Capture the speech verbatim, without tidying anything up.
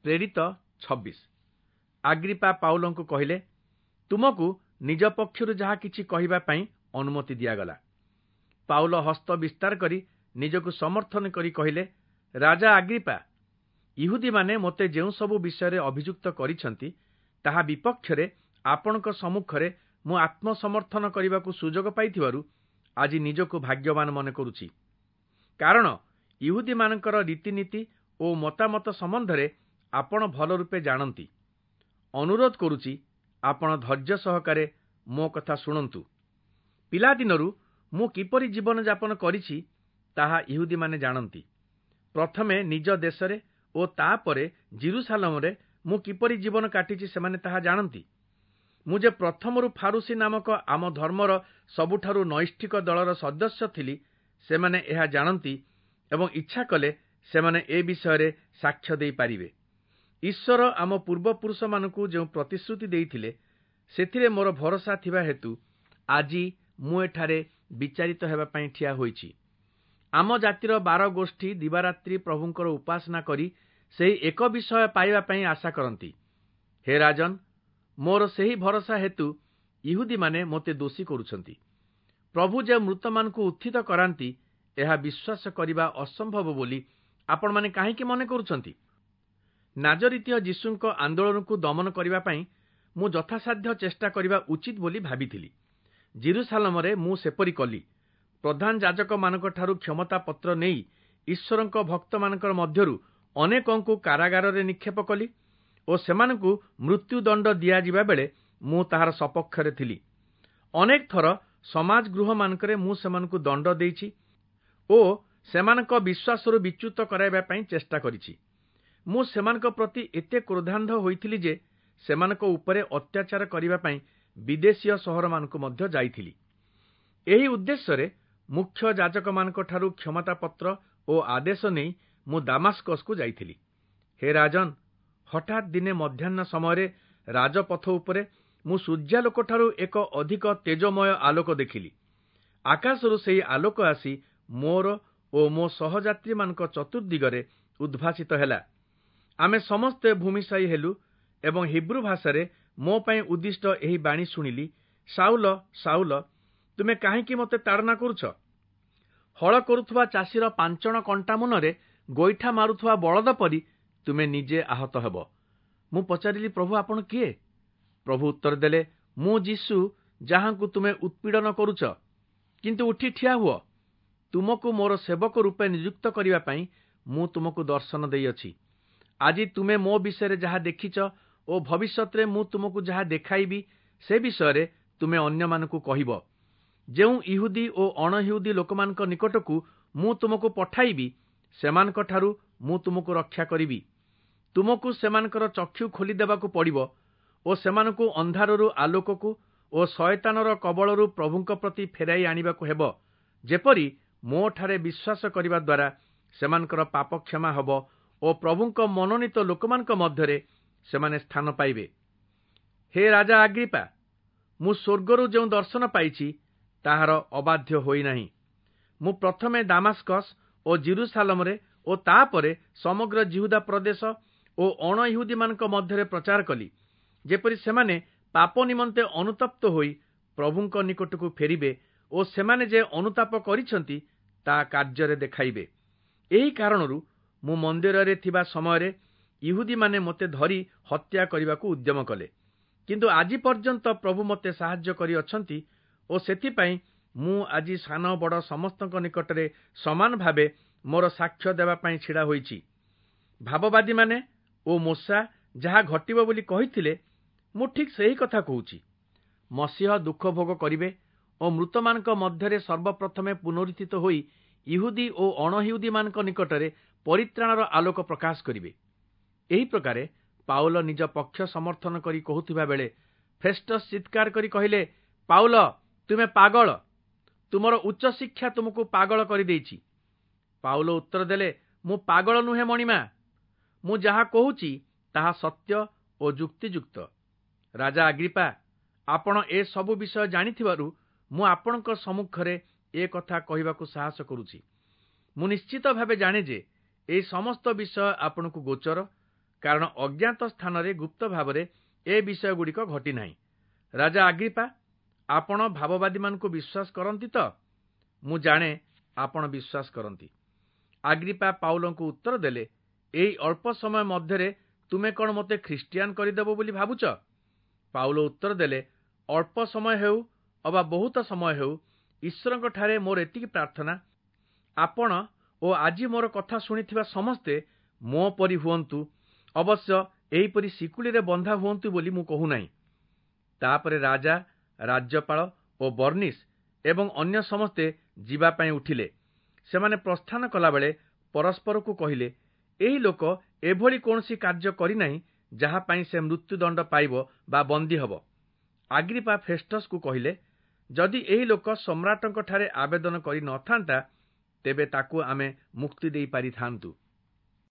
ପ୍ରେରିତ ଛବିଶ। ଆଗ୍ରିପା ପାଉଲଙ୍କୁ କହିଲେ, ତୁମକୁ ନିଜ ପକ୍ଷରୁ ଯାହା କିଛି କହିବା ପାଇଁ ଅନୁମତି ଦିଆଗଲା। ପାଉଲ ହସ୍ତ ବିସ୍ତାର କରି ନିଜକୁ ସମର୍ଥନ କରି କହିଲେ, ରାଜା ଆଗ୍ରିପା, ଇହୁଦୀମାନେ ମୋତେ ଯେଉଁ ସବୁ ବିଷୟରେ ଅଭିଯୁକ୍ତ କରିଛନ୍ତି, ତାହା ବିପକ୍ଷରେ ଆପଣଙ୍କ ସମ୍ମୁଖରେ ମୁଁ ଆତ୍ମସମର୍ଥନ କରିବାକୁ ସୁଯୋଗ ପାଇଥିବାରୁ ଆଜି ନିଜକୁ ଭାଗ୍ୟବାନ ମନେ କରୁଛି। କାରଣ ଇହୁଦୀମାନଙ୍କର ରୀତିନୀତି ଓ ମତାମତ ସମ୍ବନ୍ଧରେ ଆପଣ ଭଲ ରୂପେ ଜାଣନ୍ତି। ଅନୁରୋଧ କରୁଛି, ଆପଣ ଧୈର୍ଯ୍ୟ ସହକାରେ ମୋ କଥା ଶୁଣନ୍ତୁ। ପିଲାଦିନରୁ ମୁଁ କିପରି ଜୀବନଯାପନ କରିଛି, ତାହା ଇହୁଦୀମାନେ ଜାଣନ୍ତି। ପ୍ରଥମେ ନିଜ ଦେଶରେ ଓ ତାପରେ ଜିରୁସାଲମରେ ମୁଁ କିପରି ଜୀବନ କାଟିଛି, ସେମାନେ ତାହା ଜାଣନ୍ତି। ମୁଁ ଯେ ପ୍ରଥମରୁ ଫାରୁସୀ ନାମକ ଆମ ଧର୍ମର ସବୁଠାରୁ ନୈଷ୍ଠିକ ଦଳର ସଦସ୍ୟ ଥିଲି, ସେମାନେ ଏହା ଜାଣନ୍ତି ଏବଂ ଇଚ୍ଛା କଲେ ସେମାନେ ଏ ବିଷୟରେ ସାକ୍ଷ୍ୟ ଦେଇପାରିବେ। ଈଶ୍ୱର ଆମ ପୂର୍ବପୁରୁଷମାନଙ୍କୁ ଯେଉଁ ପ୍ରତିଶ୍ରୁତି ଦେଇଥିଲେ, ସେଥିରେ ମୋର ଭରସା ଥିବା ହେତୁ ଆଜି ମୁଁ ଏଠାରେ ବିଚାରିତ ହେବା ପାଇଁ ଠିଆ ହୋଇଛି। ଆମ ଜାତିର ବାର ଗୋଷ୍ଠୀ ଦିବାରାତ୍ରି ପ୍ରଭୁଙ୍କର ଉପାସନା କରି ସେହି ଏକ ବିଷୟ ପାଇବା ପାଇଁ ଆଶା କରନ୍ତି। ହେ ରାଜନ, ମୋର ସେହି ଭରସା ହେତୁ ଇହୁଦୀମାନେ ମୋତେ ଦୋଷୀ କରୁଛନ୍ତି। ପ୍ରଭୁ ଯେ ମୃତମାନଙ୍କୁ ଉତ୍ଥିତ କରାନ୍ତି, ଏହା ବିଶ୍ୱାସ କରିବା ଅସମ୍ଭବ ବୋଲି ଆପଣମାନେ କାହିଁକି ମନେ କରୁଛନ୍ତି? ନାଜରିତୀୟ ଯୀଶୁଙ୍କ ଆନ୍ଦୋଳନକୁ ଦମନ କରିବା ପାଇଁ ମୁଁ ଯଥାସାଧ୍ୟ ଚେଷ୍ଟା କରିବା ଉଚିତ ବୋଲି ଭାବିଥିଲି। ଜିରୁସାଲମରେ ମୁଁ ସେପରି କଲି। ପ୍ରଧାନ ଯାଜକମାନଙ୍କଠାରୁ କ୍ଷମତାପତ୍ର ନେଇ ଈଶ୍ୱରଙ୍କ ଭକ୍ତମାନଙ୍କର ମଧ୍ୟରୁ ଅନେକଙ୍କୁ କାରାଗାରରେ ନିକ୍ଷେପ କଲି ଓ ସେମାନଙ୍କୁ ମୃତ୍ୟୁଦଣ୍ଡ ଦିଆଯିବା ବେଳେ ମୁଁ ତାହାର ସପକ୍ଷରେ ଥିଲି। ଅନେକ ଥର ସମାଜ ଗୃହମାନଙ୍କରେ ମୁଁ ସେମାନଙ୍କୁ ଦଣ୍ଡ ଦେଇଛି ଓ ସେମାନଙ୍କ ବିଶ୍ୱାସରୁ ବିଚ୍ୟୁତ କରାଇବା ପାଇଁ ଚେଷ୍ଟା କରିଛି। ମୁଁ ସେମାନଙ୍କ ପ୍ରତି ଏତେ କ୍ରୋଧାନ୍ଧ ହୋଇଥିଲି ଯେ ସେମାନଙ୍କ ଉପରେ ଅତ୍ୟାଚାର କରିବା ପାଇଁ ବିଦେଶୀୟ ସହରମାନଙ୍କୁ ମଧ୍ୟ ଯାଇଥିଲି। ଏହି ଉଦ୍ଦେଶ୍ୟରେ ମୁଖ୍ୟ ଯାଜକମାନଙ୍କଠାରୁ କ୍ଷମତାପତ୍ର ଓ ଆଦେଶ ନେଇ ମୁଁ ଦାମାସ୍କସକୁ ଯାଇଥିଲି। ହେ ରାଜନ, ହଠାତ୍ ଦିନେ ମଧ୍ୟାହ୍ନ ସମୟରେ ରାଜପଥ ଉପରେ ମୁଁ ସୂର୍ଯ୍ୟାଲୋକଠାରୁ ଏକ ଅଧିକ ତେଜମୟ ଆଲୋକ ଦେଖିଲି। ଆକାଶରୁ ସେହି ଆଲୋକ ଆସି ମୋର ଓ ମୋ ସହଯାତ୍ରୀମାନଙ୍କ ଚତୁର୍ଦ୍ଦିଗରେ ଉଦ୍ଭାସିତ ହେଲା। ଆମେ ସମସ୍ତେ ଭୂମିଶାୟୀ ହେଲୁ ଏବଂ ହିବ୍ରୁ ଭାଷାରେ ମୋ ପାଇଁ ଉଦ୍ଦିଷ୍ଟ ଏହି ବାଣୀ ଶୁଣିଲି, ସାଉଲ, ସାଉଲ, ତୁମେ କାହିଁକି ମୋତେ ତାଡ଼ନା କରୁଛ? ହଳ କରୁଥିବା ଚାଷୀର ପାଞ୍ଚଣ କଣ୍ଟା ମୁନରେ ଗୋଇଠା ମାରୁଥିବା ବଳଦ ପରି ତୁମେ ନିଜେ ଆହତ ହେବ। ମୁଁ ପଚାରିଲି, ପ୍ରଭୁ, ଆପଣ କିଏ? ପ୍ରଭୁ ଉତ୍ତର ଦେଲେ, ମୁଁ ଯୀଶୁ, ଯାହାଙ୍କୁ ତୁମେ ଉତ୍ପୀଡ଼ନ କରୁଛ। କିନ୍ତୁ ଉଠି ଠିଆ ହୁଅ। ତୁମକୁ ମୋର ସେବକ ରୂପେ ନିଯୁକ୍ତ କରିବା ପାଇଁ ମୁଁ ତୁମକୁ ଦର୍ଶନ ଦେଇଅଛି। ଆଜି ତୁମେ ମୋ ବିଷୟରେ ଯାହା ଦେଖିଛ ଓ ଭବିଷ୍ୟତରେ ମୁଁ ତୁମକୁ ଯାହା ଦେଖାଇବି, ସେ ବିଷୟରେ ତୁମେ ଅନ୍ୟମାନଙ୍କୁ କହିବ। ଯେଉଁ ଇହୁଦୀ ଓ ଅଣଇହୁଦୀ ଲୋକମାନଙ୍କ ନିକଟକୁ ମୁଁ ତୁମକୁ ପଠାଇବି, ସେମାନଙ୍କଠାରୁ ମୁଁ ତୁମକୁ ରକ୍ଷା କରିବି। ତୁମକୁ ସେମାନଙ୍କର ଚକ୍ଷୁ ଖୋଲିଦେବାକୁ ପଡ଼ିବ ଓ ସେମାନଙ୍କୁ ଅନ୍ଧାରରୁ ଆଲୋକକୁ ଓ ଶୟତାନର କବଳରୁ ପ୍ରଭୁଙ୍କ ପ୍ରତି ଫେରାଇ ଆଣିବାକୁ ହେବ, ଯେପରି ମୋଠାରେ ବିଶ୍ୱାସ କରିବା ଦ୍ୱାରା ସେମାନଙ୍କର ପାପ କ୍ଷମା ହେବ ଓ ପ୍ରଭୁଙ୍କ ମନୋନୀତ ଲୋକମାନଙ୍କ ମଧ୍ୟରେ ସେମାନେ ସ୍ଥାନ ପାଇବେ। ହେ ରାଜା ଆଗ୍ରିପା, ମୁଁ ସ୍ୱର୍ଗରୁ ଯେଉଁ ଦର୍ଶନ ପାଇଛି, ତାହାର ଅବାଧ୍ୟ ହୋଇନାହିଁ। ମୁଁ ପ୍ରଥମେ ଦାମାସ୍କସ୍ ଓ ଜିରୁସାଲମରେ ଓ ତାପରେ ସମଗ୍ର ଜିହୁଦା ପ୍ରଦେଶ ଓ ଅଣଇହୁଦୀମାନଙ୍କ ମଧ୍ୟରେ ପ୍ରଚାର କଲି, ଯେପରି ସେମାନେ ପାପ ନିମନ୍ତେ ଅନୁତପ୍ତ ହୋଇ ପ୍ରଭୁଙ୍କ ନିକଟକୁ ଫେରିବେ ଓ ସେମାନେ ଯେ ଅନୁତାପ କରିଛନ୍ତି, ତା କାର୍ଯ୍ୟରେ ଦେଖାଇବେ। ଏହି କାରଣରୁ ମୁଁ ମନ୍ଦିରରେ ଥିବା ସମୟରେ ଇହୁଦୀମାନେ ମୋତେ ଧରି ହତ୍ୟା କରିବାକୁ ଉଦ୍ୟମ କଲେ। କିନ୍ତୁ ଆଜି ପର୍ଯ୍ୟନ୍ତ ପ୍ରଭୁ ମୋତେ ସାହାଯ୍ୟ କରିଅଛନ୍ତି ଓ ସେଥିପାଇଁ ମୁଁ ଆଜି ସାନ ବଡ଼ ସମସ୍ତଙ୍କ ନିକଟରେ ସମାନ ଭାବେ ମୋର ସାକ୍ଷ୍ୟ ଦେବା ପାଇଁ ଛିଡ଼ା ହୋଇଛି। ଭାବବାଦୀମାନେ ଓ ମୋଶା ଯାହା ଘଟିବ ବୋଲି କହିଥିଲେ, ମୁଁ ଠିକ୍ ସେହି କଥା କହୁଛି। ମସିହ ଦୁଃଖ ଭୋଗ କରିବେ ଓ ମୃତମାନଙ୍କ ମଧ୍ୟରେ ସର୍ବପ୍ରଥମେ ପୁନରୁତ୍ଥିତ ହୋଇ ଇହୁଦୀ ଓ ଅଣଇହୁଦୀମାନଙ୍କ ନିକଟରେ ପରିତ୍ରାଣର ଆଲୋକ ପ୍ରକାଶ କରିବେ। ଏହି ପ୍ରକାରେ ପାଉଲ ନିଜ ପକ୍ଷ ସମର୍ଥନ କରି କହୁଥିବା ବେଳେ ଫେଷ୍ଟସ୍ ଚିତ୍କାର କରି କହିଲେ, ପାଉଲ, ତୁମେ ପାଗଳ! ତୁମର ଉଚ୍ଚଶିକ୍ଷା ତୁମକୁ ପାଗଳ କରିଦେଇଛି। ପାଉଲ ଉତ୍ତର ଦେଲେ, ମୁଁ ପାଗଳ ନୁହେଁ ମଣିମା। ମୁଁ ଯାହା କହୁଛି, ତାହା ସତ୍ୟ ଓ ଯୁକ୍ତିଯୁକ୍ତ। ରାଜା ଆଗ୍ରିପା, ଆପଣ ଏ ସବୁ ବିଷୟ ଜାଣିଥିବାରୁ ମୁଁ ଆପଣଙ୍କ ସମ୍ମୁଖରେ ଏ କଥା କହିବାକୁ ସାହସ କରୁଛି। ମୁଁ ନିଶ୍ଚିତ ଭାବେ ଜାଣେ ଯେ ଏହି ସମସ୍ତ ବିଷୟ ଆପଣଙ୍କୁ ଗୋଚର, କାରଣ ଅଜ୍ଞାତ ସ୍ଥାନରେ ଗୁପ୍ତ ଭାବରେ ଏ ବିଷୟଗୁଡ଼ିକ ଘଟିନାହିଁ। ରାଜା ଆଗ୍ରିପା, ଆପଣ ଭାବବାଦୀମାନଙ୍କୁ ବିଶ୍ୱାସ କରନ୍ତି ତ? ମୁଁ ଜାଣେ ଆପଣ ବିଶ୍ୱାସ କରନ୍ତି। ଆଗ୍ରିପା ପାଉଲଙ୍କୁ ଉତ୍ତର ଦେଲେ, ଏହି ଅଳ୍ପ ସମୟ ମଧ୍ୟରେ ତୁମେ କ'ଣ ମୋତେ ଖ୍ରୀଷ୍ଟିଆନ କରିଦେବ ବୋଲି ଭାବୁଛ? ପାଉଲ ଉତ୍ତର ଦେଲେ, ଅଳ୍ପ ସମୟ ହେଉ ଅବା ବହୁତ ସମୟ ହେଉ, ଈଶ୍ୱରଙ୍କଠାରେ ମୋର ଏତିକି ପ୍ରାର୍ଥନା, ଆପଣ ଓ ଆଜି ମୋର କଥା ଶୁଣିଥିବା ସମସ୍ତେ ମୋ ପରି ହୁଅନ୍ତୁ, ଅବଶ୍ୟ ଏହିପରି ଶିକୁଳିରେ ବନ୍ଧା ହୁଅନ୍ତୁ ବୋଲି ମୁଁ କହୁନାହିଁ। ତାପରେ ରାଜା, ରାଜ୍ୟପାଳ ଓ ବର୍ଣ୍ଣିସ୍ ଏବଂ ଅନ୍ୟ ସମସ୍ତେ ଯିବା ପାଇଁ ଉଠିଲେ। ସେମାନେ ପ୍ରସ୍ଥାନ କଲାବେଳେ ପରସ୍ପରକୁ କହିଲେ, ଏହି ଲୋକ ଏଭଳି କୌଣସି କାର୍ଯ୍ୟ କରିନାହିଁ ଯାହା ପାଇଁ ସେ ମୃତ୍ୟୁଦଣ୍ଡ ପାଇବ ବା ବନ୍ଦୀ ହେବ। ଆଗ୍ରିପା ଫେଷ୍ଟସ୍କୁ କହିଲେ, ଯଦି ଏହି ଲୋକ ସମ୍ରାଟଙ୍କଠାରେ ଆବେଦନ କରି ନ ଥାନ୍ତା, ତେବେ ତାକୁ ଆମେ ମୁକ୍ତି ଦେଇପାରିଥାନ୍ତୁ।